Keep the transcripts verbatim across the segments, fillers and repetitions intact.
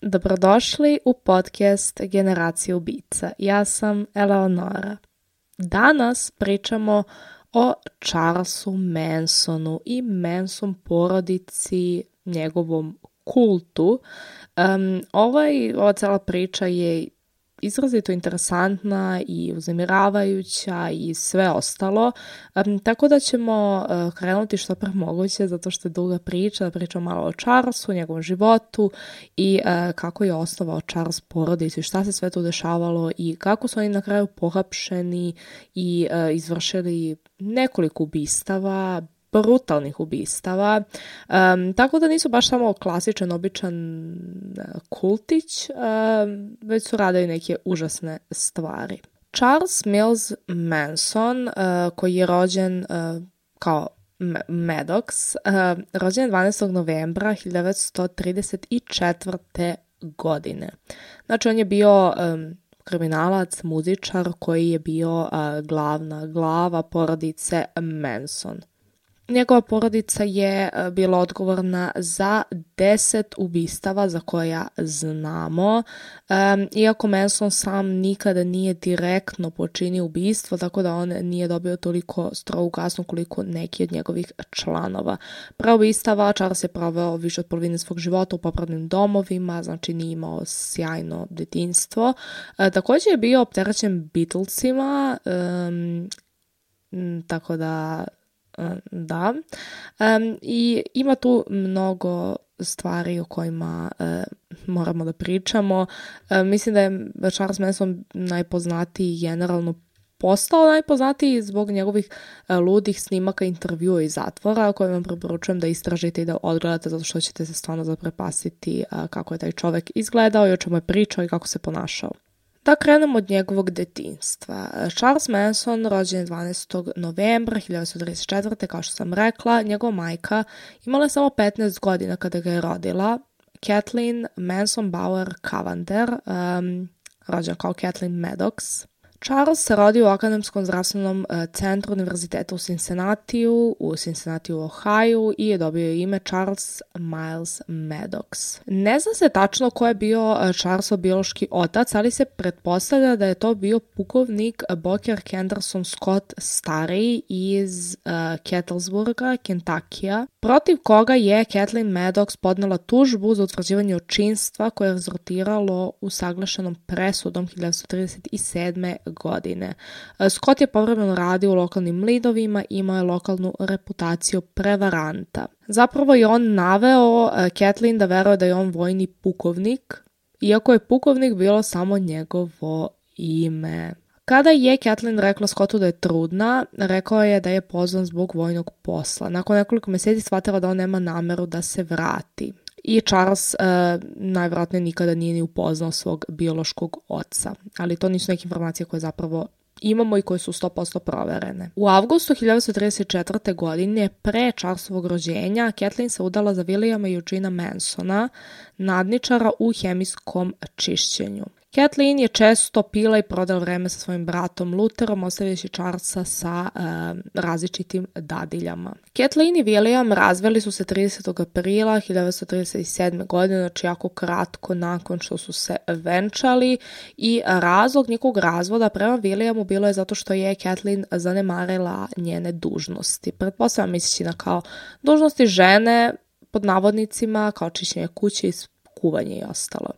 Dobrodošli u podcast Generacije ubica. Ja sam Eleonora. Danas pričamo o Charlesu Mansonu i Manson porodici, njegovom kultu. Um, ovaj, ova cela priča je izrazito interesantna i uznemiravajuća i sve ostalo, um, tako da ćemo uh, krenuti što pre moguće, zato što je duga priča, da pričamo malo o Charlesu, njegovom životu i uh, kako je osnovao Charles porodicu i šta se sve tu dešavalo i kako su oni na kraju pohapšeni i uh, izvršili nekoliko ubistava, brutalnih ubistava, um, tako da nisu baš samo klasičan, običan uh, kultić, um, već su radili neke užasne stvari. Charles Mills Manson, uh, koji je rođen uh, kao Maddox, uh, rođen je dvanaestog novembra hiljadu devetsto trideset četvrte. godine. Znači, on je bio um, kriminalac, muzičar koji je bio uh, glavna glava porodice Manson. Njegova porodica je bila odgovorna za deset ubistava za koja znamo, um, iako Manson sam nikada nije direktno počinio ubistvo, tako da on nije dobio toliko strogu kaznu koliko neki od njegovih članova. Pre ubistava Charles je proveo više od polovine svog života u popravnim domovima, znači nije imao sjajno detinjstvo. Uh, također je bio opterećen Beatlesima, um, tako da da, um, i ima tu mnogo stvari o kojima uh, moramo da pričamo. Uh, mislim da je Charles Manson najpoznatiji generalno postao najpoznatiji zbog njegovih uh, ludih snimaka intervjua iz zatvora, koje vam preporučujem da istražite i da odgledate, zato što ćete se stvarno zaprepastiti uh, kako je taj čovek izgledao i o čemu je pričao i kako se ponašao. Da krenemo od njegovog detinjstva. Charles Manson rođen je dvanaestog novembra hiljadu devetsto trideset četvrte. Kao što sam rekla, njegova majka imala je samo petnaest godina kada ga je rodila. Kathleen Manson Bauer Cavender, um, rođen kao Kathleen Maddox. Charles se rodio u Akademskom zdravstvenom centru univerziteta u Cincinnatiju, u Cincinnatiju, Ohio i je dobio ime Charles Miles Maddox. Ne zna se tačno ko je bio Charlesov biološki otac, ali se pretpostavlja da je to bio pukovnik Booker Henderson Scott stariji iz uh, Cattlesburga, Kentuckija, protiv koga je Kathleen Maddox podnela tužbu za utvrđivanje očinstva koje je rezultiralo usaglašenom presudom hiljadu devetsto trideset sedme. godine. Scott je povremeno radio u lokalnim lidovima i imao je lokalnu reputaciju prevaranta. Zapravo je on naveo Kathleen da veruje da je on vojni pukovnik, iako je pukovnik bilo samo njegovo ime. Kada je Kathleen rekla Scottu da je trudna, rekao je da je pozvan zbog vojnog posla. Nakon nekoliko mjeseci shvatila da on nema nameru da se vrati. I Charles uh, najvjerojatnije nikada nije ni upoznao svog biološkog oca. Ali to nisu neke informacije koje zapravo imamo i koje su sto posto proverene. U avgustu hiljadu devetsto trideset četvrte. godine, pre Charlesovog rođenja, Kathleen se udala za Williama Eugena Mansona, nadničara u hemijskom čišćenju. Kathleen je često pila i prodala vreme sa svojim bratom Lutherom, ostavljajući Charlesa sa e, različitim dadiljama. Kathleen i William razveli su se tridesetog aprila hiljadu devetsto trideset sedme. godine, znači jako kratko nakon što su se venčali, i razlog njihovog razvoda prema Williamu bilo je zato što je Kathleen zanemarila njene dužnosti. Pretpostavljam misleći na kao dužnosti žene, pod navodnicima, kao čišćenje kuće i kuvanje i ostalo.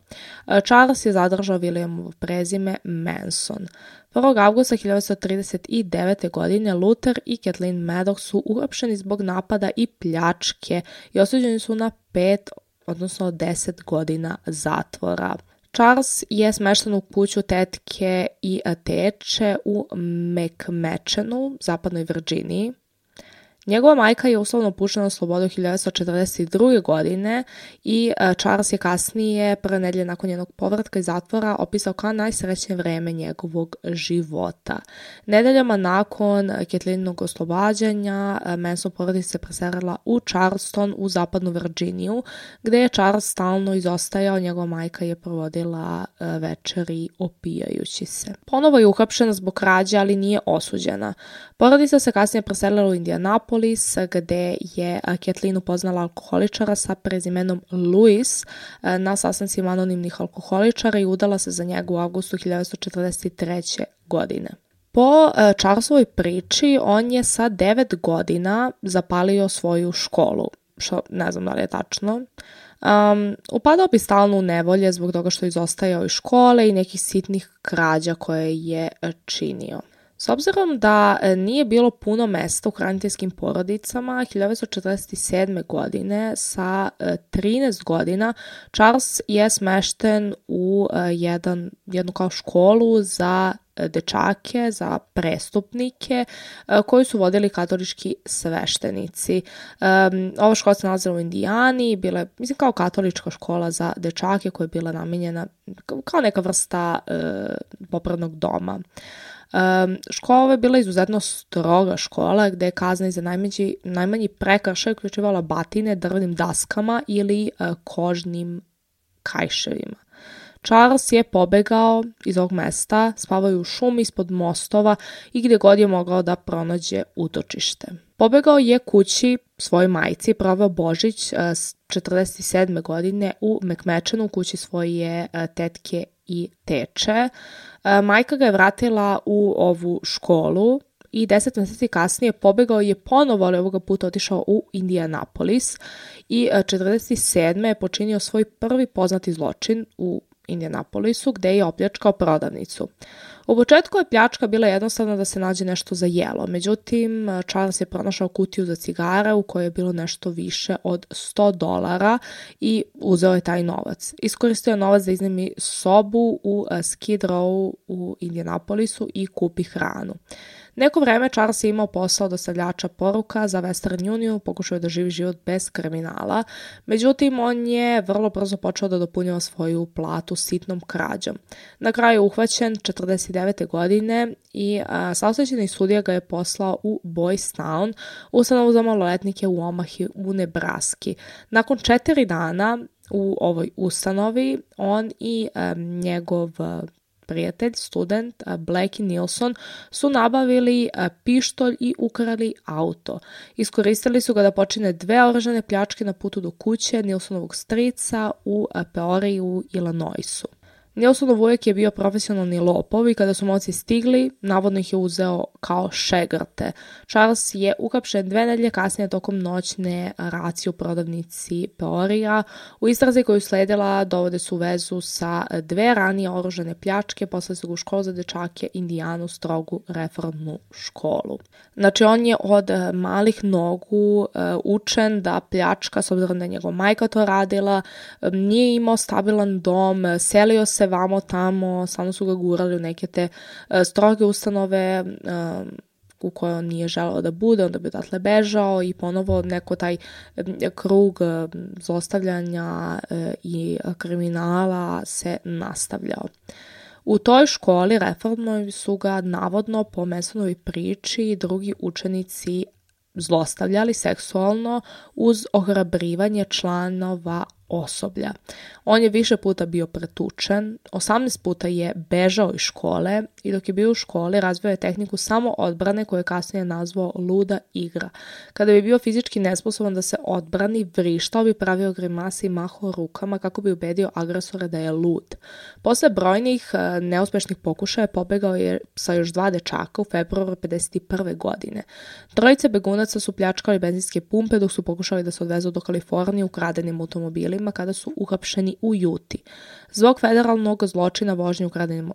Charles je zadržao Williamovo prezime Manson. prvog avgusta hiljadu devetsto trideset devete. godine Luther i Kathleen Maddox su uhapšeni zbog napada i pljačke i osuđeni su na pet, odnosno deset godina zatvora. Charles je smešten u kuću tetke i teče u McMechenu, zapadnoj Virginiji. Njegova majka je uslovno puštena na slobodu hiljadu devetsto četrdeset druge. godine i Charles je kasnije, prve nedelje nakon njenog povratka iz zatvora, opisao kao najsrećnije vreme njegovog života. Nedeljama nakon Kathleenog oslobađanja, Manson porodica se preselila u Charleston u zapadnu Virginiju, gde je Charles stalno izostajao, njegova majka je provodila večeri opijajući se. Ponovo je uhapšena zbog krađe, ali nije osuđena. Porodica se kasnije preselila u Indianapolis, Indianapolis gde je Kathleen upoznala alkoholičara sa prezimenom Lewis na sastancima anonimnih alkoholičara i udala se za njega u avgustu hiljadu devetsto četrdeset treće. godine. Po Charlesovoj priči, on je sa devet godina zapalio svoju školu, što ne znam da li je tačno. Um, upadao bi stalno u nevolje zbog toga što je izostajao iz škole i nekih sitnih krađa koje je činio. S obzirom da nije bilo puno mesta u hraniteljskim porodicama, hiljadu devetsto četrdeset sedme. godine sa trinaest godina Charles je smešten u jedan, jednu kao školu za dečake, za prestupnike koji su vodili katolički sveštenici. Um, ova škola se nalazila u Indijani, bila je, mislim, kao katolička škola za dečake koja je bila namenjena kao neka vrsta uh, popravnog doma. Um, škola je bila izuzetno stroga škola gde je kazna za najmanji, najmanji prekršaj uključivala batine drvenim daskama ili uh, kožnim kajševima. Charles je pobegao iz ovog mesta, spavao je u šumi ispod mostova i gdje god je mogao da pronađe utočište. Pobegao je kući svojoj majci, proveo Božić uh, četrdeset sedme. godine u McMechanu, u kući svoje uh, tetke i teče. Majka ga je vratila u ovu školu i deset mjeseci kasnije pobegao je ponovo, ali ovoga puta otišao u Indianapolis i četrdeset sedme. je počinio svoj prvi poznati zločin u Indianapolisu gde je opljačkao prodavnicu. U početku je pljačka bila jednostavna da se nađe nešto za jelo, međutim Charles je pronašao kutiju za cigare u kojoj je bilo nešto više od sto dolara i uzeo je taj novac. Iskoristio je novac da iznajmi sobu u Skid Row u Indianapolisu i kupi hranu. Neko vreme Charles je imao posao dostavljača poruka za Western Union, pokušao je da živi život bez kriminala, međutim on je vrlo brzo počeo da dopunjava svoju platu sitnom krađom. Na kraju je uhvaćen četrdeset devete. godine i saosećajni sudija ga je poslao u Boys Town, ustanovu za maloletnike u Omahi u Nebraski. Nakon četiri dana u ovoj ustanovi on i um, njegov prijatelj, student Blake Nilsson su nabavili pištolj i ukrali auto. Iskoristili su ga da počine dve oružane pljačke na putu do kuće Nilsonovog strica u Peoriji u Illinoisu. Nilsonov ujak je bio profesionalni lopov i kada su momci stigli, navodno ih je uzeo kao šegrte. Charles je uhapšen dve nedelje kasnije tokom noćne racije u prodavnici Peorija. U istrazi koju sledila dovode su vezu sa dve ranije oružane pljačke, posle su ga u školu za dečake Indijanu, strogu reformnu školu. Znači on je od malih nogu uh, učen da pljačka, s obzirom da je njegova majka to radila, um, nije imao stabilan dom, selio se vamo tamo, samo su ga gurali u neke te uh, stroge ustanove um, u kojoj on nije želeo da bude, onda bi odatle bežao i ponovo neko taj um, krug um, zlostavljanja uh, i kriminala se nastavljao. U toj školi reformnoj su ga navodno po Mansonovoj priči drugi učenici zlostavljali seksualno uz ohrabrivanje članova osoblja. On je više puta bio pretučen, osamnaest puta je bežao iz škole i dok je bio u školi razvio je tehniku samo odbrane koju je kasnije nazvao luda igra. Kada bi bio fizički nesposoban da se odbrani, vrištao bi, pravio grimase i mahao rukama kako bi ubedio agresora da je lud. Posle brojnih neuspešnih pokušaja pobegao je sa još dva dečaka u februaru pedeset prve. godine. Trojice begunaca su pljačkali benzinske pumpe dok su pokušali da se odvezu do Kalifornije ukradenim automobilima kada su uhapšeni u Juti. Zbog federalnog zločina vožnje ukradenim uh,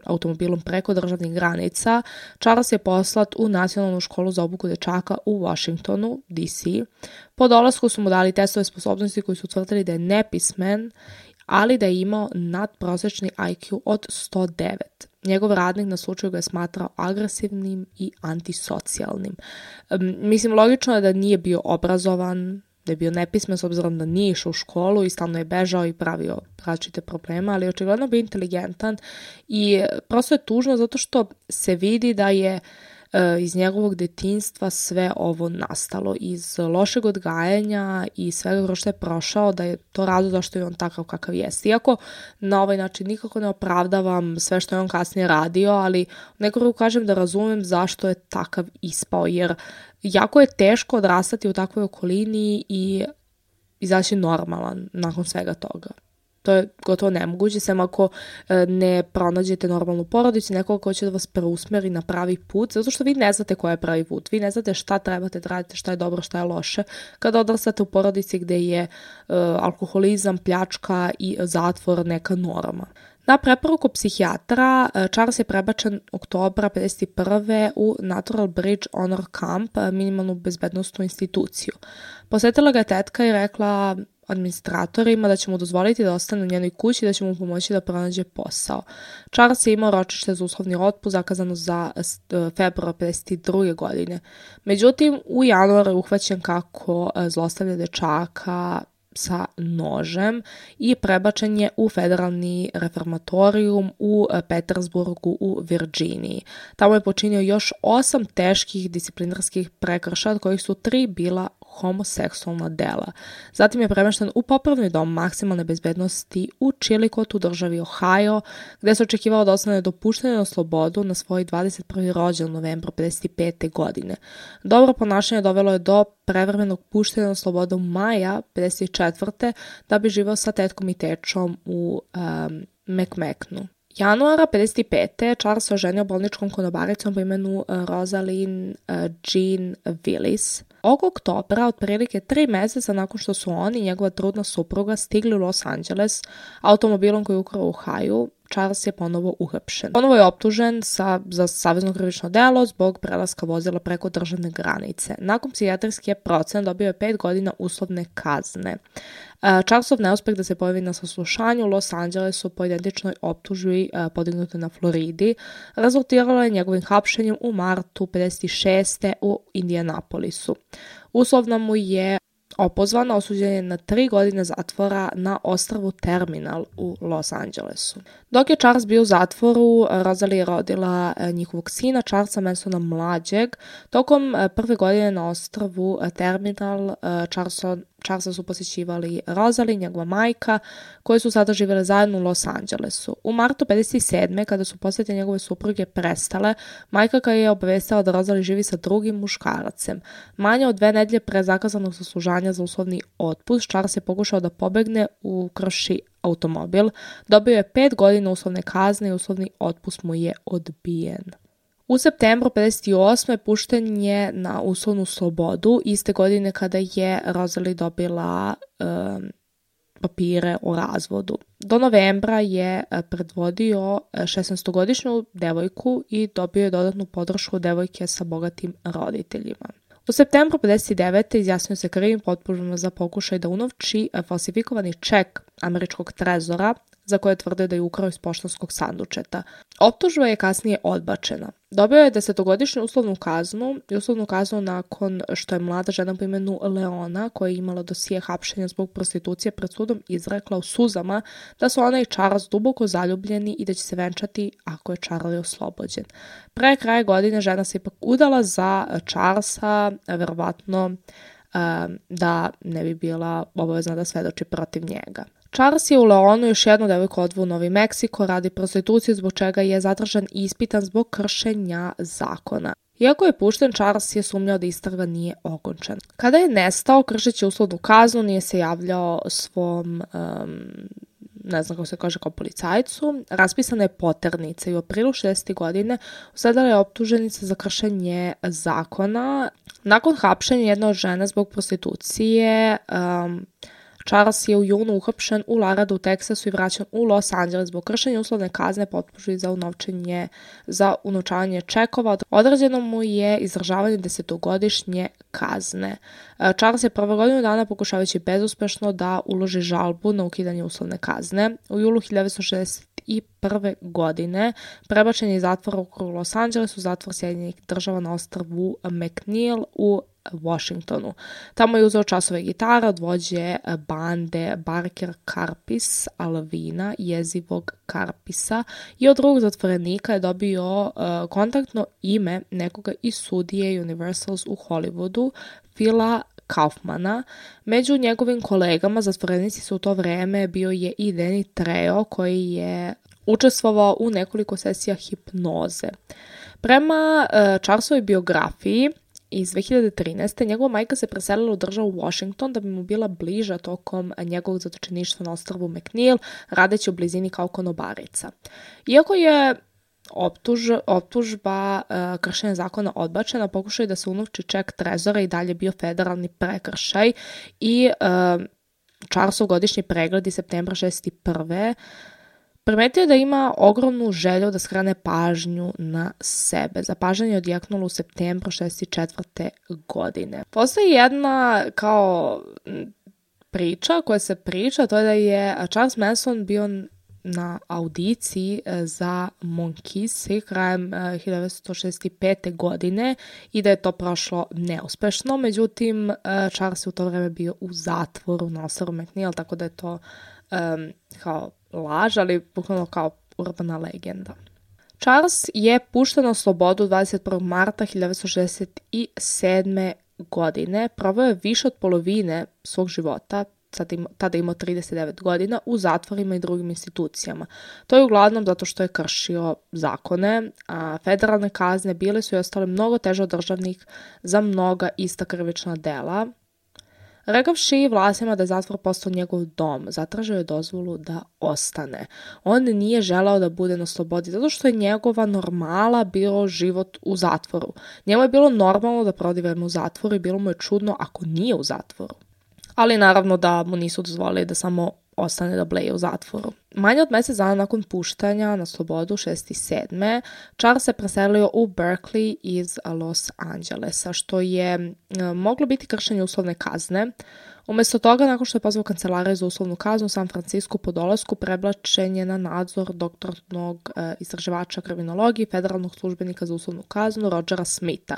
automobilom preko državnih granica, Charles je poslat u Nacionalnu školu za obuku dečaka u Washingtonu, D C. Po dolasku su mu dali testove sposobnosti koji su utvrdili da je nepismen, ali da je imao nadprosečni I Q od sto devet. Njegov radnik na slučaju ga je smatrao agresivnim i antisocijalnim. Um, mislim, logično je da nije bio obrazovan, da je bio nepismen s obzirom da nije išao u školu i stalno je bežao i pravio različite probleme, ali očigledno bio inteligentan i prosto je tužno zato što se vidi da je iz njegovog detinjstva sve ovo nastalo, iz lošeg odgajanja i svega što je prošao, da je to razlog zašto je on takav kakav jest. Iako na ovaj način nikako ne opravdavam sve što je on kasnije radio, ali nekako kažem da razumem zašto je takav ispao, jer jako je teško odrastati u takvoj okolini i izaći normalan nakon svega toga. To je gotovo nemoguće, sem ako ne pronađete normalnu porodicu, nekoga ko će da vas preusmeri na pravi put, zato što vi ne znate koji je pravi put, vi ne znate šta trebate da radite, šta je dobro, šta je loše. Kada odrastate u porodici gde je uh, alkoholizam, pljačka i zatvor neka norma. Na preporuku psihijatra, Charles je prebačen oktobra pedeset prve u Natural Bridge Honor Camp, minimalnu bezbednostnu instituciju. Posetila ga je tetka i rekla administratorima da će mu dozvoliti da ostane u njenoj kući i da će mu pomoći da pronađe posao. Charles je imao ročište za uslovni otpust zakazano za februar pedeset druge godine. Međutim, u januaru je uhvaćen kako zlostavlja dečaka sa nožem i prebačen je u federalni reformatorijum u Petersburgu u Virginiji. Tamo je počinio još osam teških disciplinarskih prekršaja, od kojih su tri bila homoseksualna dela. Zatim je premešten u popravni dom maksimalne bezbednosti u Chillicottu u državi Ohio, gde se očekivalo da ostane dopušten na slobodu na svoj dvadeset prvi rođendan u novembru pedeset pete godine. Dobro ponašanje dovelo je do prevremenog puštenja na slobodu maja pedeset četvrte da bi živao sa tetkom i tečom u um, McMacknu. Januara pedeset pete Charles se oženio bolničkom konobaricom po imenu Rosalind Jean Willis. Ovog oktobra, otprilike tri meseca nakon što su on i njegova trudna supruga stigli u Los Angeles automobilom koji je ukrao u Ohio, Charles je ponovo uhapšen. Ponovo je optužen sa, za savezno krivično delo zbog prelaska vozila preko državne granice. Nakon psihijatrijske procene dobio je pet godina uslovne kazne. Charlesov neuspeh da se pojavi na saslušanju u Los Angelesu po identičnoj optužbi podignutoj na Floridi rezultiralo je njegovim hapšenjem u martu pedeset šeste u Indianapolisu. Uslovno mu je opozvan, osuđen je na tri godine zatvora na ostrvu Terminal u Los Angelesu. Dok je Charles bio u zatvoru, Rosalie je rodila njihovog sina, Charlesa Mansona mlađeg. Tokom prve godine na ostrvu Terminal Charlesa, Charlesa su posjećivali Rosalie, njegova majka, koje su sada živjele zajedno u Los Angelesu. U martu pedeset sedme kada su posjete njegove supruge prestale, majka ga je obavestila da Rosalie živi sa drugim muškaracem. Manje od dve nedelje pre zakazanog saslušanja za uslovni otpust, Charles je pokušao da pobegne u krši automobil, dobio je pet godina uslovne kazne i uslovni otpust mu je odbijen. U septembru pedeset osme pušten je na uslovnu slobodu, iste godine kada je Rosalie dobila um, papire o razvodu. Do novembra je predvodio šesnaestogodišnju devojku i dobio je dodatnu podršku devojke sa bogatim roditeljima. U septembru pedeset devete izjasnio se krivim potpuno za pokušaj da unovči falsifikovani ček američkog trezora za koje je tvrdio da je ukrao iz poštanskog sandučeta. Optužba je kasnije odbačena. Dobio je desetogodišnju uslovnu kaznu i uslovnu kaznu nakon što je mlada žena po imenu Leona, koja je imala dosije hapšenja zbog prostitucije pred sudom, izrekla u suzama da su ona i Charles duboko zaljubljeni i da će se venčati ako je Charlie oslobođen. Pre kraja godine žena se ipak udala za Charlesa, verovatno da ne bi bila obavezna da svedoči protiv njega. Charles je u Leonu još jednu devojku odveo u Novi Meksiko radi prostitucije, zbog čega je zadržan i ispitan zbog kršenja zakona. Iako je pušten, Charles je sumnjao da istraga nije okončana. Kada je nestao, kršeći uslovnu kaznu, nije se javljao svom, um, ne znam kako se kaže, kao policajcu. Raspisana je poternica i u aprilu šezdesetih godine usledala je optuženica za kršenje zakona. Nakon hapšenja jedne od žena zbog prostitucije, um, Charles je u junu uhapšen u Laradu u Teksasu i vraćan u Los Angeles zbog kršenja uslovne kazne po optužbi za unovčenje za unovčavanje čekova. Određeno mu je izdržavanje desetogodišnje kazne. Charles je prvo godinu dana pokušavajući bezuspešno da uloži žalbu na ukidanje uslovne kazne. U julu hiljadu devetsto šezdeset prve godine prebačen je iz zatvora u Los Angelesu u zatvor Sjedinjenih država na ostrvu McNeil u Washingtonu. Tamo je uzeo časove gitara od vođe bande Barker Karpis Alvina, jezivog Karpisa, i od drugog zatvorenika je dobio uh, kontaktno ime nekoga iz studije Universals u Hollywoodu, Phila Kaufmana. Među njegovim kolegama zatvorenici su u to vreme bio je i Danny Trejo, koji je učestvovao u nekoliko sesija hipnoze. Prema uh, Charlesovoj biografiji iz dve hiljade trinaeste. njegova majka se preselila u državu Washington da bi mu bila bliža tokom njegovog zatočeništva na ostrvu McNeil, radeći u blizini kao konobarica. Iako je optuž, optužba uh, kršenja zakona odbačena, pokušaj da se unovči ček trezora i dalje bio federalni prekršaj i uh, Charlesov godišnji pregled iz septembra šezdeset prve. Primetio je da ima ogromnu želju da skrene pažnju na sebe. Zapažanje je odjeknulo u septembru šezdeset četvrte. godine. Postoji jedna kao priča koja se priča, to je da je Charles Manson bio na audiciji za Monkees krajem hiljadu devetsto šezdeset pete. godine i da je to prošlo neuspešno. Međutim, Charles je u to vreme bio u zatvoru na ostrvu McNeil, tako da je to um, kao laž, ali bukvalno kao urbana legenda. Charles je pušten na slobodu dvadeset prvog marta hiljadu devetsto šezdeset sedme. godine. Proveo je više od polovine svog života, tada imao trideset devet godina, u zatvorima i drugim institucijama. To je uglavnom zato što je kršio zakone, a federalne kazne bile su i ostale mnogo teže od državnih za mnoga ista krivična dela. Rekavši vlastima da je zatvor postao njegov dom, zatražio je dozvolu da ostane. On nije želeo da bude na slobodi, zato što je njegova normala bilo život u zatvoru. Njemu je bilo normalno da provodi vreme u zatvoru i bilo mu je čudno ako nije u zatvoru. Ali naravno da mu nisu dozvolili da samo ostane da bleje u zatvoru. Manje od mjesec dana nakon puštanja na slobodu šezdeset sedme. Charles se preselio u Berkeley iz Los Angelesa, što je e, moglo biti kršenje uslovne kazne. Umjesto toga, nakon što je pozvao kancelariju za uslovnu kaznu u San Francisco po dolasku, prebačen je na nadzor doktornog e, istraživača kriminologije i federalnog službenika za uslovnu kaznu Rogera Smitha.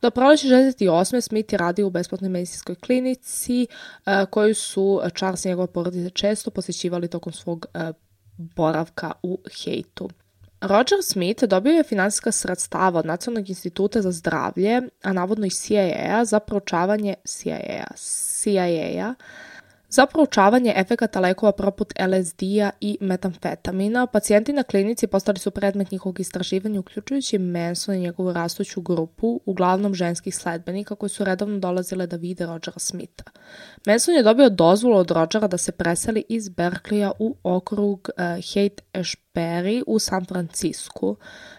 Do proleća šezdeset osme. Smith je radio u besplatnoj medicinskoj klinici e, koju su Charles i njegove porodice često posjećivali tokom svog e, boravka u Haitu. Roger Smith dobio je finansijska sredstava od Nacionalnog instituta za zdravlje, a navodno i C I A-a za proučavanje C I A-a, C I A-a za proučavanje efekata lekova poput L S D-a i metamfetamina. Pacijenti na klinici postali su predmet njihovog istraživanja, uključujući Manson i njegovu rastuću grupu, uglavnom ženskih sledbenika koji su redovno dolazile da vide Rogera Smitha. Manson je dobio dozvolu od Rogera da se preseli iz Berkeleya u okrug uh, Haight-Ashbury u San Francisku.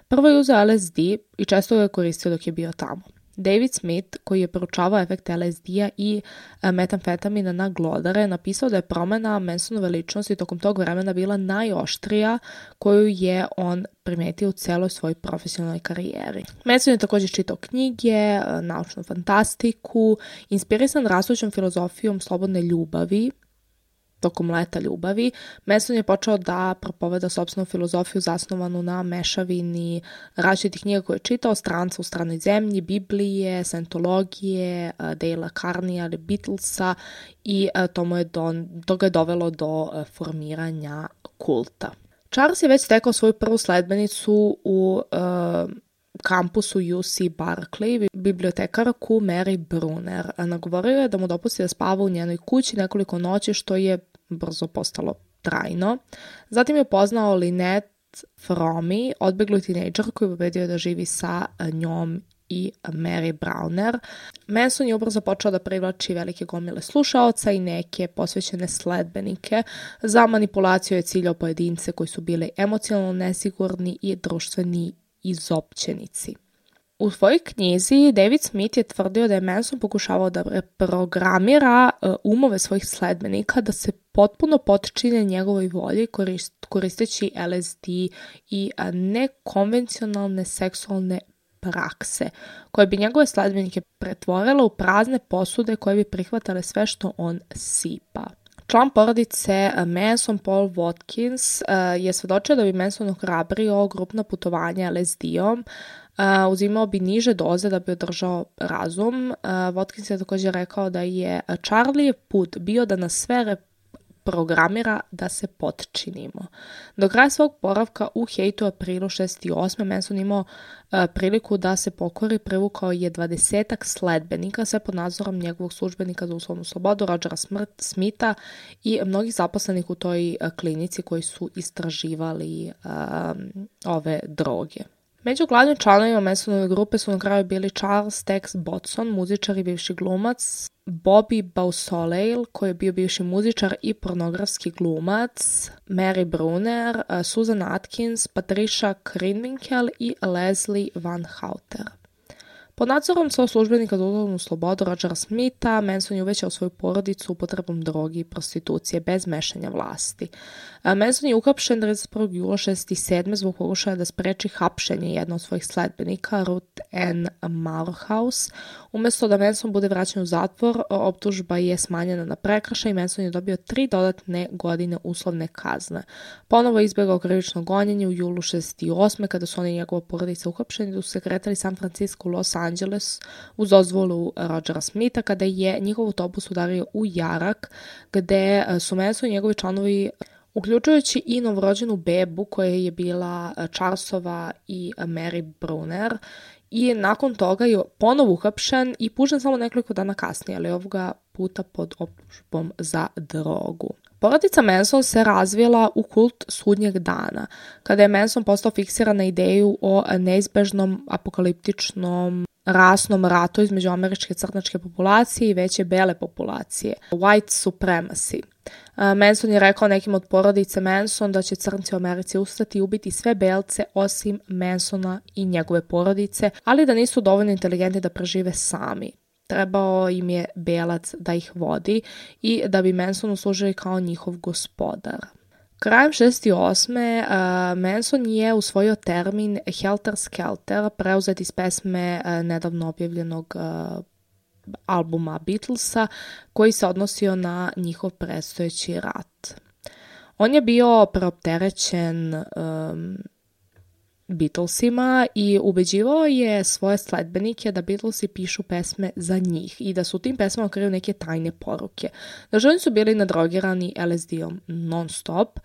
Prvo je uzeo L S D i često ga je koristio dok je bio tamo. David Smith, koji je proučavao efekte L S D-a i metamfetamina na glodare, napisao da je promjena Mansonove ličnosti tokom tog vremena bila najoštrija koju je on primetio u celoj svojoj profesionalnoj karijeri. Manson je također čitao knjige, naučnu fantastiku, inspirisan rastućom filozofijom slobodne ljubavi. Tokom leta ljubavi, Manson je počeo da propoveda sopstvenu filozofiju zasnovanu na mešavini različitih knjiga koje je čitao, Stranca u stranoj zemlji, Biblije, Scientologije, Dale'a Carneya ili Beatlesa i to, mu je don, to ga je dovelo do formiranja kulta. Charles je već stekao svoju prvu sledbenicu u uh, kampusu U C Berkeley, bibliotekarku Mary Brunner. Nagovorio je da mu dopusti da spava u njenoj kući nekoliko noći, što je brzo postalo trajno. Zatim je upoznao Lynette Fromme, odbeglu tinejdžer koji je pobedio da živi sa njom i Mary Brunner. Manson je ubrzo počeo da privlači velike gomile slušaoca i neke posvećene sledbenike. Za manipulaciju je ciljao pojedince koji su bili emocionalno nesigurni i društveni izopćenici. U svojoj knjizi David Smith je tvrdio da je Manson pokušavao da reprogramira umove svojih sledbenika da se potpuno potčine njegovoj volji koristeći L S D i nekonvencionalne seksualne prakse, koje bi njegove sledbenike pretvorile u prazne posude koje bi prihvatale sve što on sipa. Član porodice Manson, Paul Watkins, je svedočio da bi Manson ohrabrio grupna putovanja L S D-om uzimao bi niže doze da bi održao razum. Watkins je također rekao da je Charliev put bio da nas sve programira da se potčinimo. Do kraja svog boravka u Haitu u aprilu šezdeset osme Manson imao uh, priliku da se pokori, privukao je dvadesetak sledbenika, sve pod nadzorom njegovog službenika za uslovnu slobodu, Rogera Smitha i mnogih zaposlenih u toj uh, klinici koji su istraživali uh, ove droge. Među glavnim članovima Mansonove grupe su na kraju bili Charles Tex Botson, muzičar i bivši glumac, Bobby Beausoleil, koji je bio bivši muzičar i pornografski glumac, Mary Brunner, Susan Atkins, Patricia Krenwinkel i Leslie Van Houter. Pod nadzorom svog službenika za uslovnu slobodu Rogera Smitha, Manson je uvećao svoju porodicu upotrebom drogi i prostitucije bez mešanja vlasti. Manson je uhapšen trideset prvog jula šezdeset sedme zbog pokušaja da spreči hapšenje jednog od svojih sledbenika, Ruth Ann Morehouse. Umjesto da Manson bude vraćen u zatvor, optužba je smanjena na prekršaj i Manson je dobio tri dodatne godine uslovne kazne. Ponovo je izbjegao krivično gonjenje u julu šezdeset osme kada su oni i njegova porodica uhapšeni, da su se kretali San Francisco u Los Angeles uz dozvolu Rogera Smitha, kada je njihov autobus udario u jarak gde su Manson i njegovi članovi, uključujući i novorođenu bebu koja je bila Charlesova i Mary Brunner, i nakon toga je ponovo uhapšen i pušten samo nekoliko dana kasnije, ali ovoga puta pod optužbom za drogu. Porodica Manson se razvila u kult sudnjeg dana, kada je Manson postao fiksiran na ideju o neizbežnom apokaliptičnom rasnom ratu između američke crnačke populacije i veće bele populacije, white supremacy. Manson je rekao nekim od porodice Manson da će crnci u Americi ustati i ubiti sve belce osim Mansona i njegove porodice, ali da nisu dovoljno inteligentni da prežive sami. Trebao im je belac da ih vodi i da bi Mansonu služili kao njihov gospodar. Krajem šezdeset osme Uh, Manson je usvojio termin Helter Skelter, preuzet iz pesme uh, nedavno objavljenog uh, albuma Beatlesa, koji se odnosio na njihov predstojeći rat. On je bio preopterećen um, Beatlesima i ubeđivao je svoje sledbenike da Beatlesi pišu pesme za njih i da su u tim pesmama kriju neke tajne poruke. Znači, oni su bili nadrogirani L S D-om non stop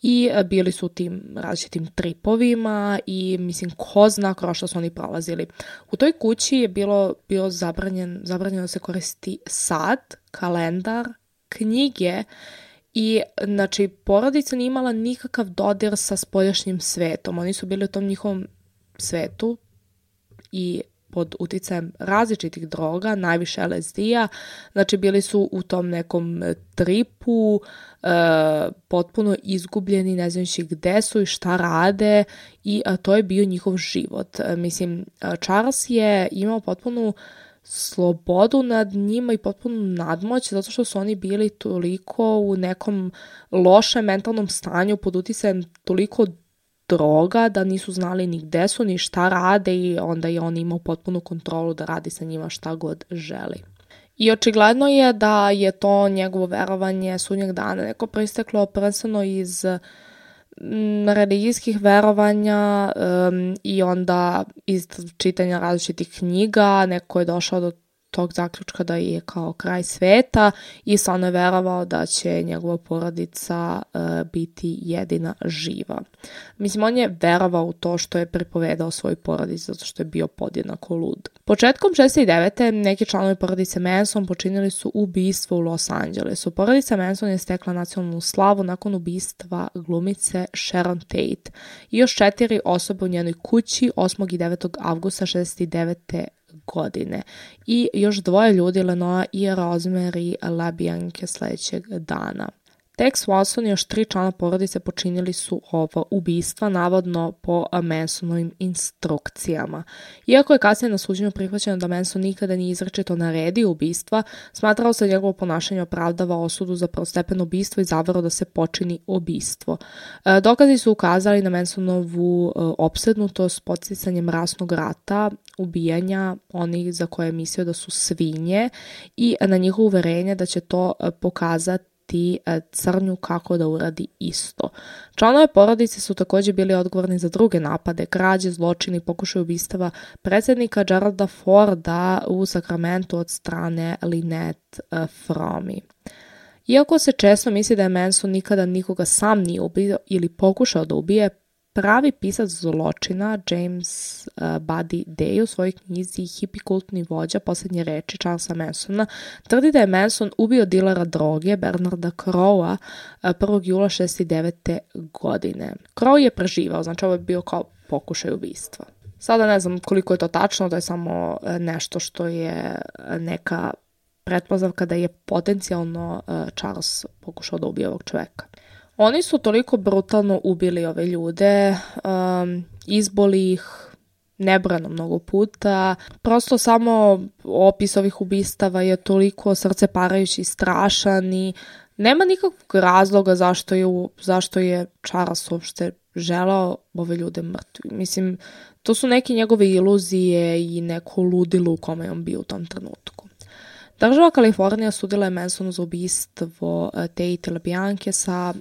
i bili su u tim različitim tripovima i mislim ko zna kroz što su oni prolazili. U toj kući je bilo, bilo zabranjen, zabranjeno da se koristi sat, kalendar, knjige. I, znači, porodica nije imala nikakav dodir sa spoljašnjim svetom. Oni su bili u tom njihovom svetu i pod uticajem različitih droga, najviše L S D-a. Znači, bili su u tom nekom tripu, e, potpuno izgubljeni, ne znajući gde su i šta rade i a, to je bio njihov život. E, mislim, Charles je imao potpunu slobodu nad njima i potpunu nadmoć, zato što su oni bili toliko u nekom lošem mentalnom stanju pod uticajem toliko droga da nisu znali ni gde su, ni šta rade i onda je on imao potpunu kontrolu da radi sa njima šta god želi. I očigledno je da je to njegovo verovanje sudnjeg dana neko proisteklo prvenstveno iz religijskih verovanja um, i onda iz čitanja različitih knjiga. Neko je došao do tog zaključka da je kao kraj sveta i stvarno je verovao da će njegova porodica uh, biti jedina živa. Mislim, on je verovao u to što je pripovedao svoj porodici zato što je bio podjednako lud. Početkom šezdeset devete neki članovi porodice Manson počinili su ubistvo u Los Angelesu. Porodica Manson je stekla nacionalnu slavu nakon ubistva glumice Sharon Tate i još četiri osobe u njenoj kući osmog i devetog avgusta šezdeset devete godine i još dvoje ljudi, Lenoa i Rosemary LaBianche, sljedećeg dana. Tex Watson i još tri člana porodice počinili su ova ubistva, navodno po Mansonovim instrukcijama. Iako je kasnije na suđenju prihvaćeno da Manson nikada nije izričito naredio ubistva, smatrao se njegovo ponašanje opravdava osudu za prvostepeno ubistvo i zaveru da se počini ubistvo. E, dokazi su ukazali na Mansonovu e, opsednutost podsticanjem rasnog rata, ubijanja onih za koje je mislio da su svinje i na njihovo uverenje da će to pokazati savjetovati crnju kako da uradi isto. Članove porodice su također bili odgovorni za druge napade, krađe, zločini, pokušaj ubistava predsjednika Geralda Forda u Sakramentu od strane Lynette Fromme. Iako se često misli da je Manson nikada nikoga sam nije ubio ili pokušao da ubije, pravi pisac zločina James uh, Buddy Day u svojoj knjizi Hippie kultni vođa posljednje reči Charlesa Mansona tvrdi da je Manson ubio dilera droge Bernarda Crowa uh, prvog jula šezdeset devete. godine. Crow je preživao, znači ovo je bio kao pokušaj ubistva. Sada ne znam koliko je to tačno, to je samo nešto što je neka pretpostavka da je potencijalno uh, Charles pokušao da ubije ovog čoveka. Oni su toliko brutalno ubili ove ljude, um, izboli ih nebrojeno mnogo puta. Prosto samo opis ovih ubistava je toliko srceparajući i strašan i nema nikakvog razloga zašto je, zašto je Charles uopšte želao ove ljude mrtvi. Mislim, to su neke njegove iluzije i neko ludilo u kome je on bio u tom trenutku. Država Kalifornija sudila je Mansonu za ubistvo Tate LaBianche sa,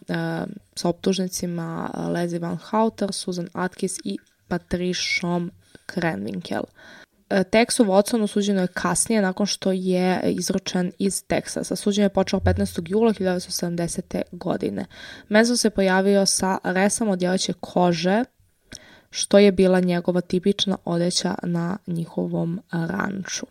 sa optužnicima Leslie Van Houter, Susan Atkins i Patriciom Krenwinkel. Texu Watsonu suđeno je kasnije nakon što je izručen iz Teksasa. Suđenje je počelo petnaestog jula hiljadu devetsto sedamdesete. godine. Manson se pojavio sa resama od djevojčje kože, što je bila njegova tipična odeća na njihovom ranču.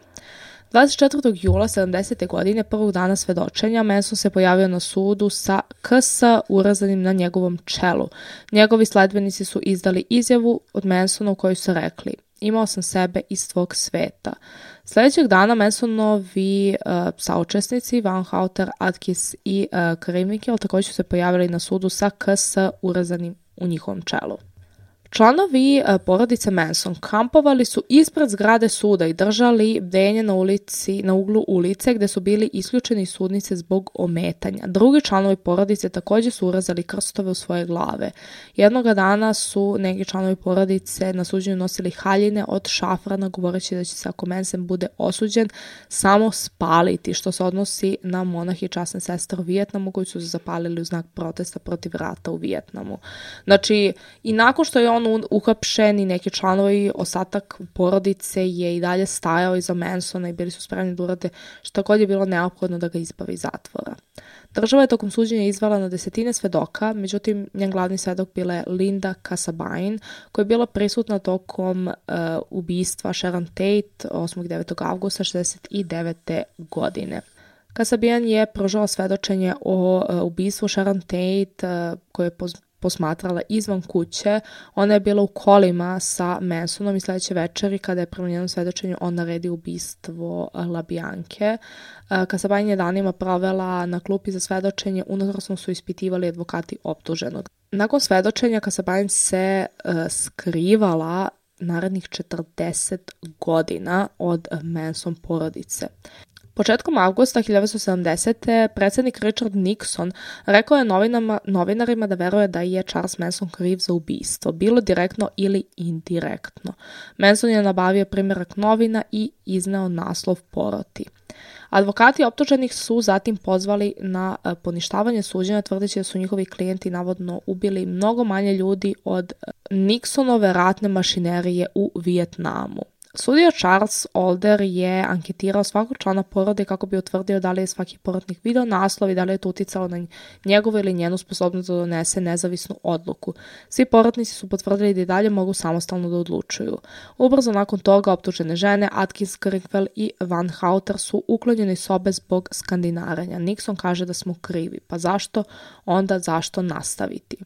dvadeset četvrtog jula sedamdesete. godine, prvog dana svedočenja, Manson se pojavio na sudu sa K S urezanim na njegovom čelu. Njegovi sledbenici su izdali izjavu od Mansona u kojoj su rekli: imao sam sebe iz tvog sveta. Sljedećeg dana Mansonovi uh, saučesnici Van Houter, Atkins i uh, Krenwinkel također su se pojavili na sudu sa K S urezanim u njihovom čelu. Članovi porodice Manson kampovali su ispred zgrade suda i držali bdenje na ulici, na uglu ulice gdje su bili isključeni iz sudnice zbog ometanja. Drugi članovi porodice također su urezali krstove u svoje glave. Jednoga dana su neki članovi porodice na suđenju nosili haljine od šafrana govoreći da će se ako Manson bude osuđen samo spaliti, što se odnosi na monahe i časne sestre u Vijetnamu koji su se zapalili u znak protesta protiv rata u Vijetnamu. Znači, i nakon što je on uhapšen i neki članovi, ostatak porodice je i dalje stajao iza Mansona i bili su spremni da urade što god je bilo neophodno da ga izbavi iz zatvora. Država je tokom suđenja izvela na desetine svedoka, međutim njen glavni svedok bila je Linda Kasabian, koja je bila prisutna tokom uh, ubistva Sharon Tate osmog i devetog avgusta šezdeset devete. godine. Kasabian je pružala svedočenje o uh, ubistvu Sharon Tate uh, koje je poz- posmatrala izvan kuće. Ona je bila u kolima sa Mansonom i sljedeće večeri kada je prema njenom svedočenju on naredio ubistvo LaBianche. Kasabian je danima provela na klupi za svedočenje, unutrašnjo su ispitivali advokati optuženog. Nakon svedočenja Kasabian se uh, skrivala narednih četrdeset godina od Manson porodice. Početkom avgusta hiljadu devetsto sedamdesete. predsjednik Richard Nixon rekao je novinama, novinarima da veruje da je Charles Manson kriv za ubistvo, bilo direktno ili indirektno. Manson je nabavio primjerak novina i izneo naslov poroti. Advokati optuženih su zatim pozvali na poništavanje suđenja tvrdeći da su njihovi klijenti navodno ubili mnogo manje ljudi od Nixonove ratne mašinerije u Vijetnamu. Sudija Charles Alder je anketirao svakog člana porode kako bi utvrdio da li je svaki porotnik video naslov i da li je to uticalo na njegovu ili njenu sposobnost da donese nezavisnu odluku. Svi porotnici su potvrdili da i dalje mogu samostalno da odlučuju. Ubrzo nakon toga optužene žene Atkins, Krenwinkel i Van Houter su uklonjeni iz sobe zbog skandinaranja. Nixon kaže da smo krivi. Pa zašto? Onda zašto nastaviti?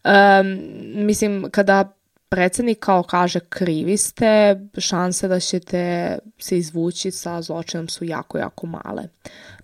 Um, mislim, kada predsjednik kao kaže krivi ste, šanse da ćete se izvući sa zločinom su jako, jako male.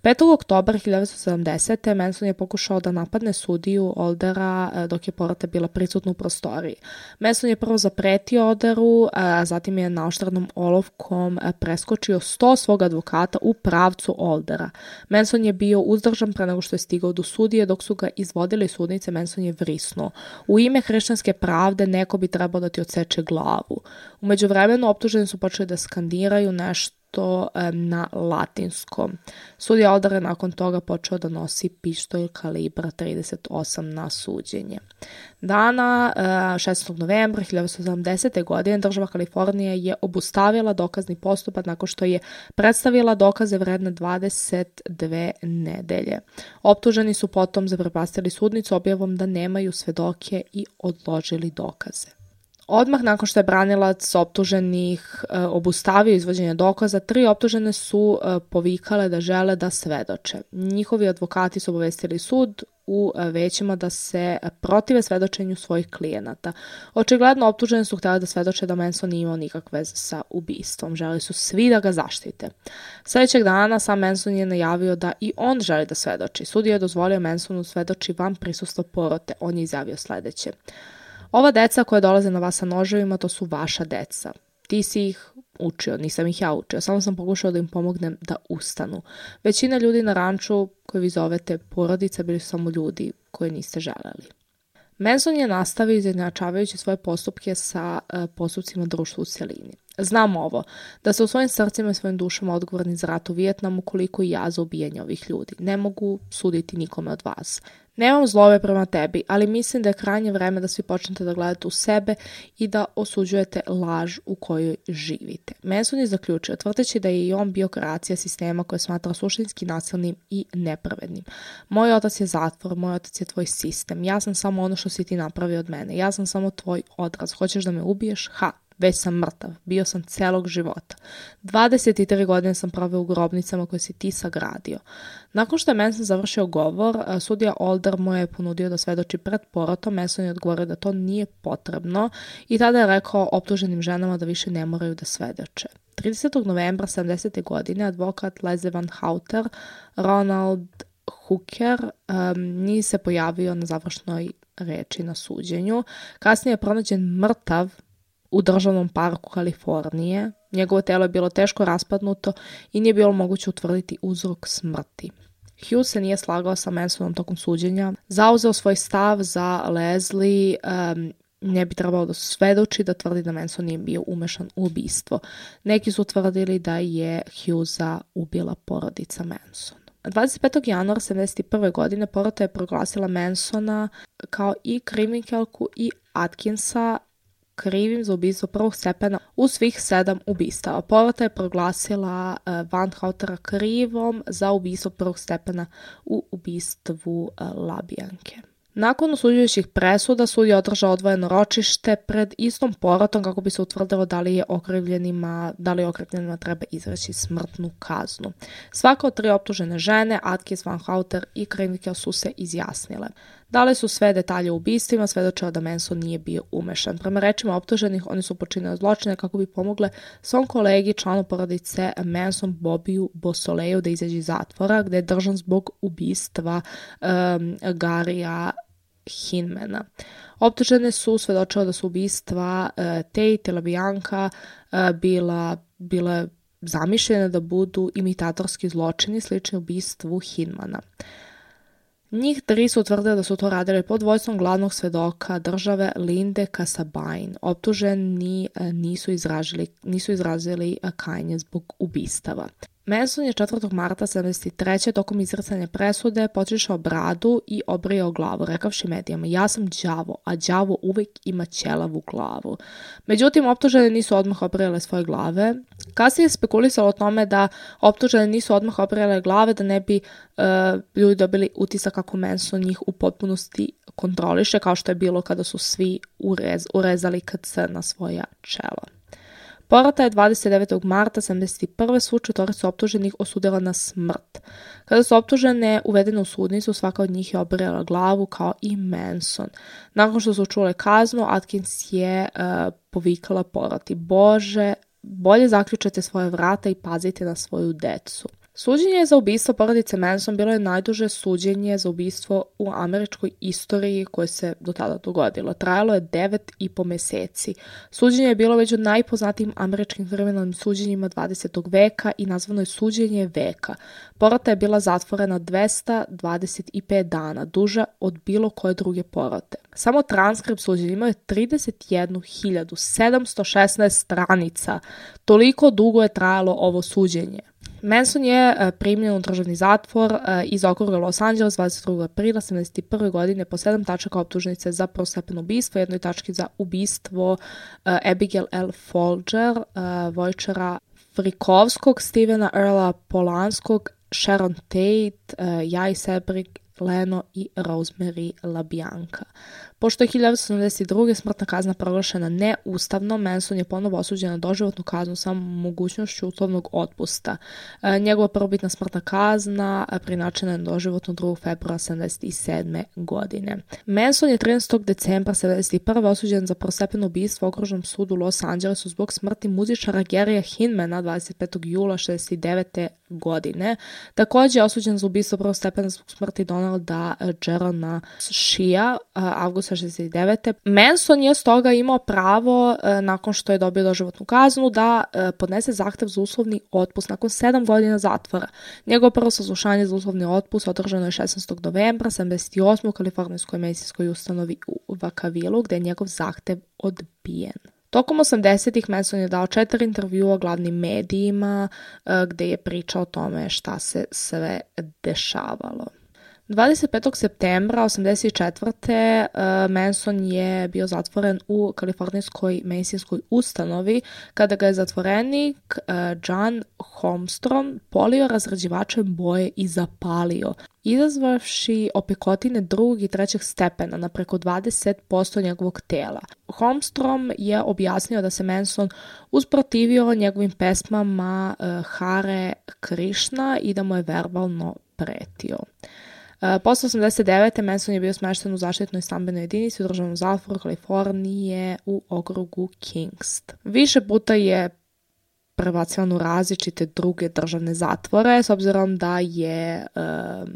petog oktobra hiljadu devetsto sedamdesete. Manson je pokušao da napadne sudiju Aldera dok je porota bila prisutna u prostoriji. Manson je prvo zapretio Alderu, a zatim je naoštrenom olovkom preskočio sto svog advokata u pravcu Aldera. Manson je bio uzdržan pre nego što je stigao do sudije, dok su ga izvodili sudnice, Manson je vrisnuo. U ime hrišćanske pravde neko bi trebao da ti odseče glavu. U međuvremenu optuženi su počeli da skandiraju nešto nešto um, na latinskom. Sudija Older je nakon toga počeo da nosi pištolj kalibra trideset osam na suđenje. Dana uh, šesnaestog novembra hiljadu devetsto sedamdesete. godine država Kalifornija je obustavila dokazni postupak nakon što je predstavila dokaze vredne dvadeset dve nedelje. Optuženi su potom zaprepastili sudnicu objavom da nemaju svedoke i odložili dokaze. Odmah nakon što je branilac optuženih e, obustavio izvođenje dokaza, tri optužene su e, povikale da žele da svedoče. Njihovi advokati su obavestili sud u e, većima da se protive svedočenju svojih klijenata. Očigledno optuženi su htjeli da svedoče da Manson nije imao nikakve veze sa ubistvom. Želi su svi da ga zaštite. Sljedećeg dana sam Manson je najavio da i on želi da svedoči. Sud je dozvolio Mansonu svedoči van prisustva porote. On je izjavio sljedeće: ova deca koja dolaze na vas sa noževima, to su vaša deca. Ti si ih učio, nisam ih ja učio, samo sam pokušao da im pomognem da ustanu. Većina ljudi na ranču koje vi zovete porodica bili su samo ljudi koje niste želeli. Manson je nastavio izjednačavajući svoje postupke sa uh, postupcima društva u cjelini. Znam ovo, da se u svojim srcima i svojim dušama odgovorni za rat u Vijetnamu, koliko i ja za ubijanje ovih ljudi. Ne mogu suditi nikome od vas. Nemam zlove prema tebi, ali mislim da je krajnje vreme da svi počnete da gledate u sebe i da osuđujete laž u kojoj živite. Manson je zaključio, tvrdeći da je i on bio kreacija sistema koje smatra suštinski nasilnim i nepravednim. Moj otac je zatvor, moj otac je tvoj sistem. Ja sam samo ono što si ti napravio od mene. Ja sam samo tvoj odraz. Hoćeš da me ubiješ? Ha! Već sam mrtav. Bio sam celog života. dvadeset tri godine sam proveo u grobnicama koje si ti sagradio. Nakon što je Manson završio govor, sudija Older mu je ponudio da svedoči pred porotom. Manson je odgovorio da to nije potrebno i tada je rekao optuženim ženama da više ne moraju da svedoče. tridesetog novembra sedamdesete. godine advokat Leslie Van Houter, Ronald Hooker, um, nije se pojavio na završnoj reči na suđenju. Kasnije je pronađen mrtav u državnom parku Kalifornije. Njegovo telo je bilo teško raspadnuto i nije bilo moguće utvrditi uzrok smrti. Hughes se nije slagao sa Mansonom tokom suđenja, zauzeo svoj stav za Leslie, um, ne bi trebalo da svedoči, da tvrdi da Manson nije bio umešan u ubistvo. Neki su tvrdili da je Hughesa ubila porodica Manson. dvadeset petog januara sedamdeset prve. godine porota je proglasila Mansona kao i kriminalku i Atkinsa krivim za ubistvo prvog stepena u svih sedam ubistava. Porota je proglasila uh, Van Houtera krivom za ubistvo prvog stepena u ubistvu uh, Labijanke. Nakon osuđujućih presuda, sud je održao odvojeno ročište pred istom porotom kako bi se utvrdilo da li je okrivljenima, da li okrivljenima treba izreći smrtnu kaznu. Svaka od tri optužene žene, Atkins, Van Houter i Krenwinkel, su se izjasnile. Dale su sve detalje o ubistvima, svedočila da Manson nije bio umešan. Prema rečima optuženih, oni su počinili zločine kako bi pomogle svom kolegi, članu porodice Manson, Bobiju Beausoleil, da izađe iz zatvora, gde je držan zbog ubistva um, Garija Hinmana. Optužene su svedočile da su ubistva uh, Tate i LaBianca uh, bila, bila zamišljene da budu imitatorski zločini slični ubistvu Hinmana. Njih tri su utvrdili da su to radili pod vođstvom glavnog svedoka države Linde Kasabain. Optuženi nisu izrazili, nisu izrazili kajanje zbog ubistava. Manson je četvrtog marta sedamdeset treće. tokom izricanja presude počišao bradu i obrijao glavu, rekavši medijama: ja sam đavo, a đavo uvijek ima ćelavu glavu. Međutim, optužene nisu odmah obrijale svoje glave. Kasnije je spekulisalo o tome da optužene nisu odmah obrijale glave da ne bi uh, ljudi dobili utisak kako Manson njih u potpunosti kontroliše, kao što je bilo kada su svi urez, urezali K C na svoja čela. Porota je dvadeset devetog marta sedamdeset prve. svu četvoricu optuženih osudila na smrt. Kada su optužene uvedene u sudnicu, svaka od njih je obrijala glavu kao i Manson. Nakon što su čule kaznu, Atkins je uh, povikala poroti: Bože, bolje zaključajte svoje vrata i pazite na svoju decu. Suđenje za ubistvo porodice Manson bilo je najduže suđenje za ubistvo u američkoj istoriji koje se do tada dogodilo. Trajalo je devet i po meseci. Suđenje je bilo među najpoznatijim američkim kriminalnim suđenjima dvadesetog veka i nazvano je suđenje veka. Porota je bila zatvorena dvesta dvadeset pet dana, duža od bilo koje druge porote. Samo transkript suđenja imao je trideset jednu hiljadu sedamsto šesnaest stranica. Toliko dugo je trajalo ovo suđenje. Manson je primljen u državni zatvor iz okruga Los Angeles dvadeset drugog aprila sedamdeset prve godine po sedam tačaka optužnice za prvostepeno ubistvo, jednoj tački za ubistvo Abigail L. Folger, Vojčera Frikovskog, Stevena Earla Polanskog, Sharon Tate, Jai Sebrig, Leno i Rosemary LaBianca. Pošto je hiljadu devetsto sedamdeset druge smrtna kazna proglašena neustavnom, Manson je ponovo osuđen na doživotnu kaznu sa mogućnošću uslovnog otpusta. E, njegova prvobitna smrtna kazna preinačena je na doživotnu drugog februara sedamdeset sedme godine. Manson je trinaestog decembra sedamdeset prve osuđen za prvostepeno ubistvo u okružnom sudu u Los Angelesu zbog smrti muzičara Garyja Hinmana dvadeset petog jula šezdeset devete godine. Također je osuđen za ubistvo prvostepeno zbog smrti Donalda Jerona Shea avgusta šezdeset devete. Manson je stoga imao pravo, nakon što je dobio doživotnu kaznu, da podnese zahtev za uslovni otpust nakon sedam godina zatvora. Njegovo prvo saslušanje za uslovni otpust održano je šesnaestog novembra sedamdeset osme u kalifornijskoj medicinskoj ustanovi u Vacaville, gde je njegov zahtev odbijen. Tokom osamdesetih Manson je dao četiri intervjua glavnim medijima gde je pričao o tome šta se sve dešavalo. dvadeset petog septembra osamdeset četvrte. Manson je bio zatvoren u kalifornijskoj medicinskoj ustanovi kada ga je zatvorenik John Holmstrom polio razređivačem boje i zapalio, izazvavši opekotine drugog i trećeg stepena na preko dvadeset posto njegovog tela. Holmstrom je objasnio da se Manson usprotivio njegovim pesmama Hare Krishna i da mu je verbalno pretio. Posle osamdeset devete. Manson je bio smešten u zaštitnoj stambenoj jedinici u državnom zatvoru Kalifornije u okrugu Kingst. Više puta je prebacivan u različite druge državne zatvore, s obzirom da je um,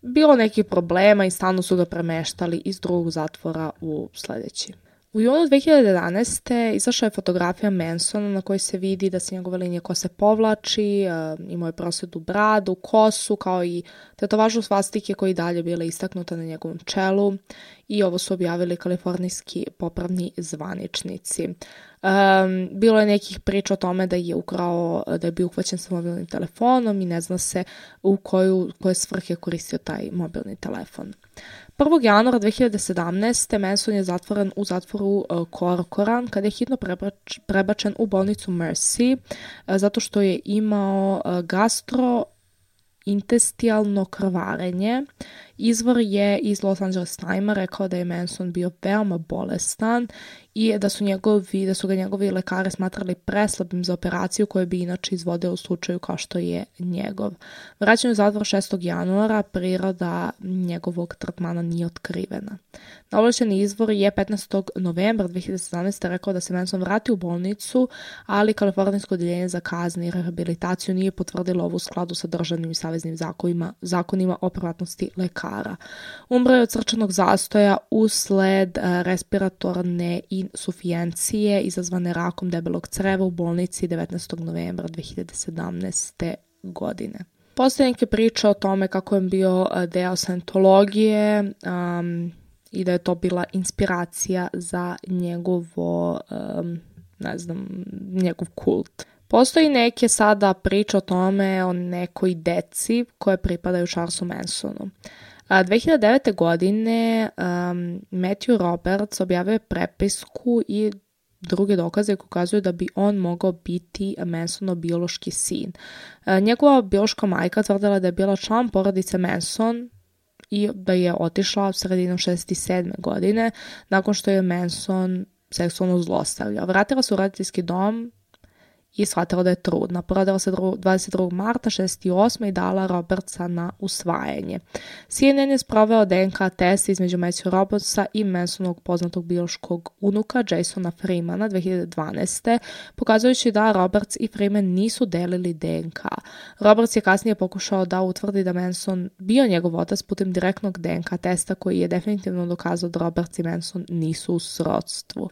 bilo nekih problema i stalno su ga premeštali iz drugog zatvora u sledeći. U junu dve hiljade jedanaeste. izašla je fotografija Mansona na kojoj se vidi da se njegove linije kose povlači, imao je prosvedu bradu, kosu, kao i tetovažu svastike koji dalje bile istaknuta na njegovom čelu i ovo su objavili kalifornijski popravni zvaničnici. Um, bilo je nekih priča o tome da je ukrao, da je bio uhvaćen sa mobilnim telefonom i ne zna se u koju, koje svrhe koristio taj mobilni telefon. prvog januara dve hiljade sedamnaeste. Manson je zatvoren u zatvoru uh, Corcoran kada je hitno prebač, prebačen u bolnicu Mercy uh, zato što je imao uh, gastrointestinalno krvarenje. Izvor je iz Los Angeles Timesa rekao da je Manson bio veoma bolestan i da su, njegovi, da su ga njegovi lekari smatrali preslabim za operaciju koju bi inače izvodili u slučaju kao što je njegov. Vraćan u zatvor šestog januara, priroda njegovog tretmana nije otkrivena. Ovlašćeni izvor je petnaestog novembra dve hiljade sedamnaeste. rekao da se Manson vrati u bolnicu, ali Kalifornijsko odjeljenje za kazne i rehabilitaciju nije potvrdilo ovo u skladu sa državnim i saveznim zakonima, zakonima o privatnosti lekara. Umro je od srčanog zastoja usled respiratorne insufijencije izazvane rakom debelog creva u bolnici devetnaestog novembra dve hiljade sedamnaeste. godine. Postoje neke priče o tome kako je bio deo Scientologije um, i da je to bila inspiracija za njegovo, um, ne znam, njegov kult. Postoji neke sada priče o tome o nekoj deci koje pripadaju Charlesu Mansonu. dve hiljade devete. godine um, Matthew Roberts objavio je prepisku i druge dokaze koji ukazuju da bi on mogao biti Mansonov biološki sin. Uh, njegova biološka majka tvrdila da je bila član porodice Manson i da je otišla sredinom šezdeset sedme. godine nakon što je Manson seksualno zlostavljao. Vratila se u roditeljski dom i shvatila da je trudna. Porodila se dvadeset drugog marta šezdeset osme i dala Robertsa na usvajanje. C N N je sproveo D N K test između Matthew Robertsa i Mansonovog poznatog biološkog unuka Jasona Freemana dve hiljade dvanaeste. pokazujući da Roberts i Freeman nisu delili D N K. Roberts je kasnije pokušao da utvrdi da Manson bio njegov otac putem direktnog D N K testa koji je definitivno dokazao da Roberts i Manson nisu u srodstvu.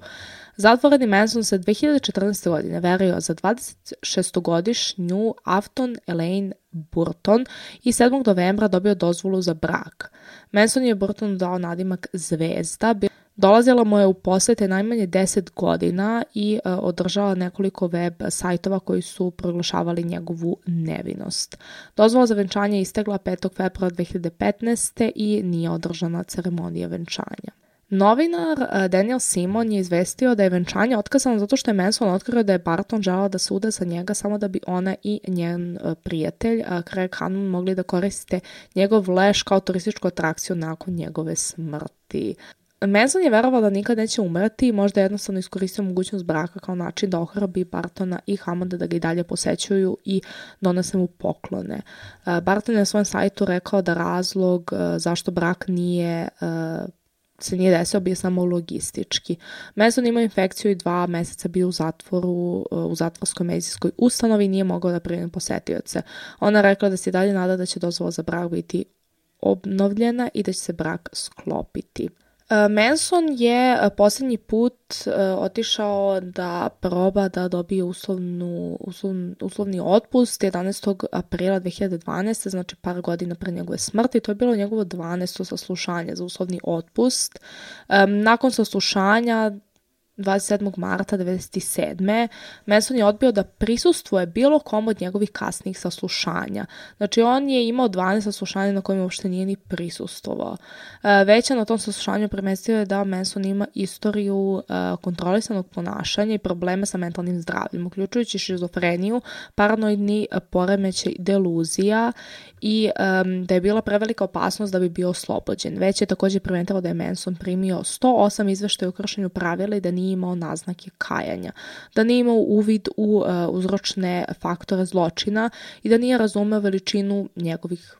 Zatvoreni Manson se dve hiljade četrnaeste. godine verio za dvadesetšestogodišnju Afton Elaine Burton i sedmog novembra dobio dozvolu za brak. Manson je Burton dao nadimak Zvezda. Dolazila mu je u posete najmanje deset godina i e, održala nekoliko web sajtova koji su proglašavali njegovu nevinost. Dozvola za venčanje je istegla petog februara dve hiljade petnaeste. i nije održana ceremonija venčanja. Novinar Daniel Simon je izvestio da je venčanje otkazano zato što je Manson otkrio da je Barton želao da se uda za njega samo da bi ona i njen prijatelj Craig Hannon mogli da koriste njegov leš kao turističku atrakciju nakon njegove smrti. Manson je verovao da nikad neće umreti i možda jednostavno iskoristio mogućnost braka kao način da ohrabri Bartona i Hammonda da ga i dalje posećuju i donese mu poklone. Barton je na svom sajtu rekao da razlog zašto brak nije se nije desio, bio samo logistički. Manson imao infekciju i dva meseca bio u zatvoru, u zatvorskoj medicinskoj ustanovi i nije mogao da primi posetioce. Ona rekla da se dalje nada da će dozvola za brak biti obnovljena i da će se brak sklopiti. Manson je posljednji put otišao da proba da dobije uslovnu, uslov, uslovni otpust jedanaestog aprila dve hiljade dvanaeste. znači par godina pre njegove smrti. To je bilo njegovo dvanaesto saslušanje za uslovni otpust. Nakon saslušanja dvadeset sedmog marta devedeset sedme. Manson je odbio da prisustvuje bilo kom od njegovih kasnijih saslušanja. Znači on je imao dvanaest saslušanja na kojima uopšte nije ni prisustvovao. Već na tom saslušanju premestio je da Manson ima istoriju kontrolisanog ponašanja i probleme sa mentalnim zdravljem, uključujući šizofreniju, paranoidni poremećaj, deluzija i um, da je bila prevelika opasnost da bi bio oslobođen. Već je također primetilo da je Manson primio sto osam izveštaja o kršenju pravila i da nije imao naznake kajanja, da nije imao uvid u uh, uzročne faktore zločina i da nije razumeo veličinu njegovih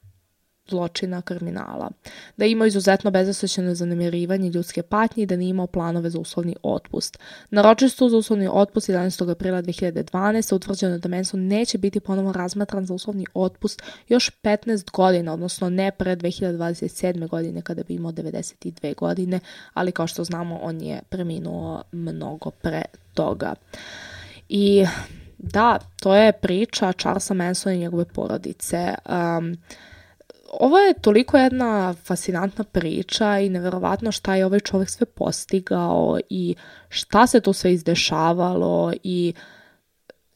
zločina, kriminala, da je imao izuzetno bezosjećajno zanemarivanje ljudske patnje i da nije imao planove za uslovni otpust. Na ročištu za uslovni otpust jedanaestog aprila dve hiljade dvanaeste. utvrđeno je da Manson neće biti ponovo razmatran za uslovni otpust još petnaest godina, odnosno ne pre dve hiljade dvadeset sedme. godine kada bi imao devedeset dve godine, ali kao što znamo on je preminuo mnogo pre toga. I da, to je priča Charlesa Mansona i njegove porodice. Um, Ovo je toliko jedna fascinantna priča i neverovatno šta je ovaj čovjek sve postigao i šta se tu sve izdešavalo i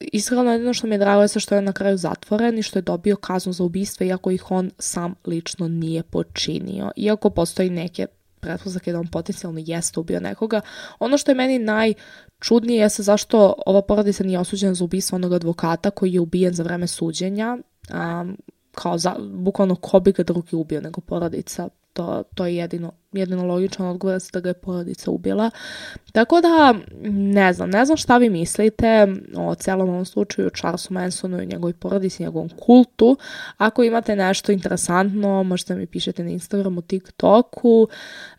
iskreno jedino što mi je drago je što je na kraju zatvoren i što je dobio kaznu za ubistvo iako ih on sam lično nije počinio. Iako postoji neke pretpostavke da on potencijalno jeste ubio nekoga. Ono što je meni najčudnije jeste zašto ova porodica nije osuđena za ubistvo onog advokata koji je ubijen za vreme suđenja. Um, kao za, bukvalno ko bi ga drugi ubio nego porodica. To, to je jedino, jedino logičan odgovor da ga je porodica ubila. Tako da, ne znam, ne znam šta vi mislite o celom ovom slučaju, Charlesu Mansonu i njegovoj porodici, njegovom kultu. Ako imate nešto interesantno, možete mi pišete na Instagramu, TikToku.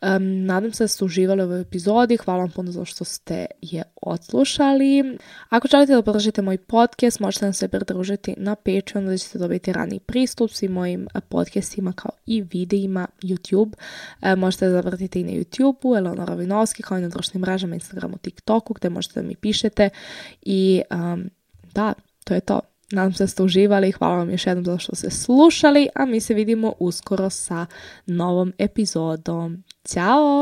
Um, nadam se da ste uživali u ovoj epizodi. Hvala vam puno za što ste je odslušali. Ako želite da podržite moj podcast, možete nam se pridružiti na Patreonu da ćete dobiti raniji pristup svim mojim podcastima kao i videima YouTube. E, možete da zapratite i na YouTubeu, Eleonora Vinovski, kao i na društvenim mrežama, Instagramu, TikToku, gde možete da mi pišete. I um, da, to je to. Nadam se da ste uživali. Hvala vam još jednom za što ste slušali, a mi se vidimo uskoro sa novom epizodom. Ćao!